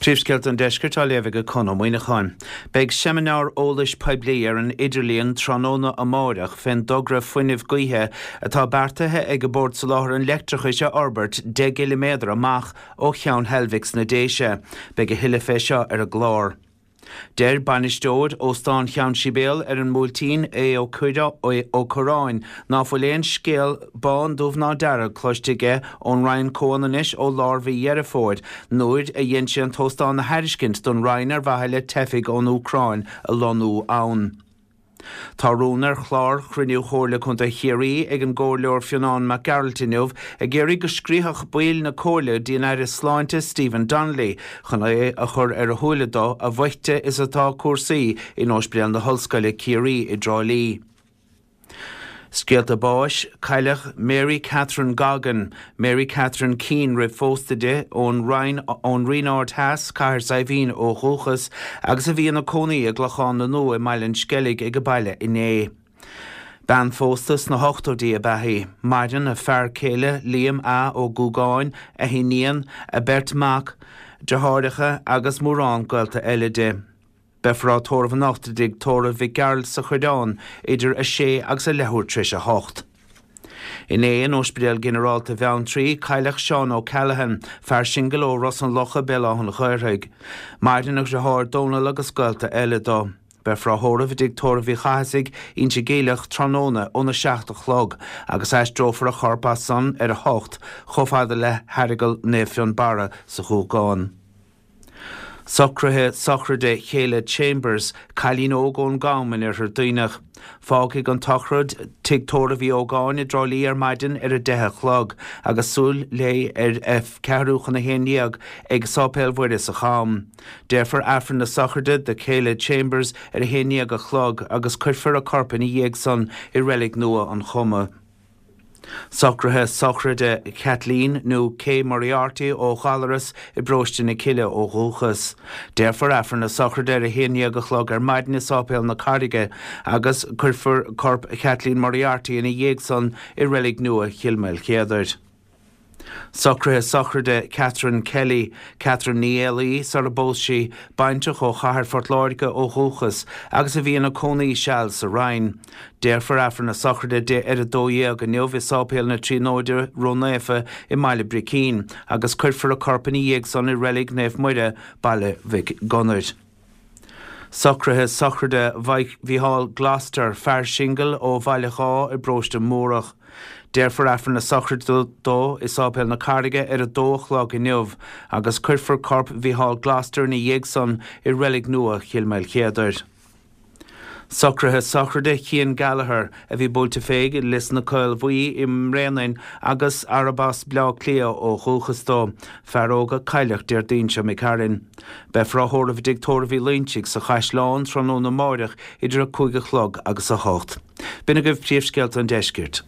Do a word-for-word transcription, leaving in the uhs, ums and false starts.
Príomhscéalta an Deiscirt á léamh ag Conn Ó Muíneacháin. Beidh seimineár eolais poiblí ar an idirlíon tráthnóna amáireach fén dtogra fuinnimh gaoithe atá beartaithe ag an Bord Soláthair an Leictreachais a fhorbairt deich gciliméadar amach ó Cheann Heilbhic sna Déise. Beidh a thuilleadh fé seo ar an gclár. Deir bainisteoir Óstán Cheann Sibéal ar an mBuailtín Aodh Ó Cuirreáin ná fuil aon scéal bán dubh ná dearg cloiste aige ón Roinn Comhionannais ó lár mhí Dheireadh Fómhair nuair a dhein sé an t-óstán a thairiscint don Roinn ar mhaithe le teifigh ón Úcráin a lonnú ann. Tá rún ar chlár chruinniú Chomhairle Contae Chiarraí ag an gComhairleoir Fionnán Mac Gearailt inniu ag iarraidh go scríobfadh baill na Comhairle dtí an Aire Sláinte Stephen Donnelly chun é a chur ar a shúile dó a bhoichte is atá cúrsaí in Ospidéal na hOllscoile Ciarraí i dTrá Lí. Scéalta báis, cailleadh Mary Catherine Goggin, Mary Catherine Keane roimh phósadh di, ón Rinn ón Rinn Ard Theas, Cathair Saidhbhín ó dhúchas, agus a bhí ina cónaí i gClochán na Nua i mBaile an Sceilg ag a baile inné. Bean phósta sna hochtóidí ab ea í. Maireann a fear céile Liam A. Ó Gúgáin, a hiníon, a beirt mhac, deartháireacha agus mórán gaolta eile di. Beifear á tórramh anocht i dtigh tórraimh Mhic Gearailt sa Choireán idir a sé agus a leathuair tar éis a hocht. Inné in Ospidéal Ginearálta Bheanntraí, cailleadh Seán O'Callaghan, fear singil ó Ros an Locha, Béal Átha an Ghaorthaidh. Maireann a dheartháir Dónal agus gaolta eile dó. Beifear á thórramh i dtigh tórraimh Uí Chathasaigh, Inse Geimhleach, tráthnóna óna seacht a chlog agus aistreofar a chorp as san ar a hocht chomh fada le hAireagal Naomh Fionnbarra sa Ghúgán. Socruithe sochraide Chéile Chambers, cailín óg ón gCam in Oirthear Duibhneach. Fágfaidh an tsochraid Tigh Tórraimh Uí Ógáin i dTrá Lí ar maidin ar a deich a chlog agus súil léi ar a ceathrú chun a haon déag ag Sáipéal Mhuire sa Cham. Déarfar Aifreann na sochraide do Chéile Chambers ar a haon déag a chlog agus cuirfear a corp ina dhiaidh san i reilig nua an Choma. Socruithe sochraide Kathleen nó Kay Moriarty ó Ghallaras i bparóiste na Cille ó dhúchas. Déarfar Aifreann na sochraide ar a haon déag a chlog ar maidin i Sáipéal na Carraige agus cuirfear corp Kathleen Moriarty ina dhiaidh san i reilig nua Chill Maoilchéadair. Socruithe sochraide Catherine Kelly, Catherine Ní Éalaí sara bpós sí, baintreach ó chathair Phort Láirge ó dhúchas agus a bhí ina cónaí seal sa Rinn. Déarfar Aifreann na sochraide di ar a dó dhéag inniu i Sáipéal na Tríonóide Ró-Naofa i mBaile Bricín agus cuirfear a corp ina dhiaidh san i reilig Naomh Muire, Baile Mhic Gonair. Socruithe sochraide Mhícheál Gloster, fear singil ó Bhaile Dhá i bparóiste Múrach. Déarfar Aifreann na sochraide dó i Sáipéal na Carraige ar a dó a chlog inniu agus cuirfear corp Mhícheál Gloster ina dhiaidh san i reilig nua Chill Maoilchéadair. Socruithe sochraide Chian Gallagher, a bhí buailte fé i Lios na Caolbhuí i mBréanainn agus arb as Bleá Cliath ó dhúchas dó, fear óg a cailleadh Déardaoin seo imigh tharainn. Beifear á thórramh i dtigh tórraimh Uí Loinsigh sa Chaisleán tráthnóna amáireach idir a cúig a chlog agus a hocht. B'in agaibh príomhscéalta an deiscirt.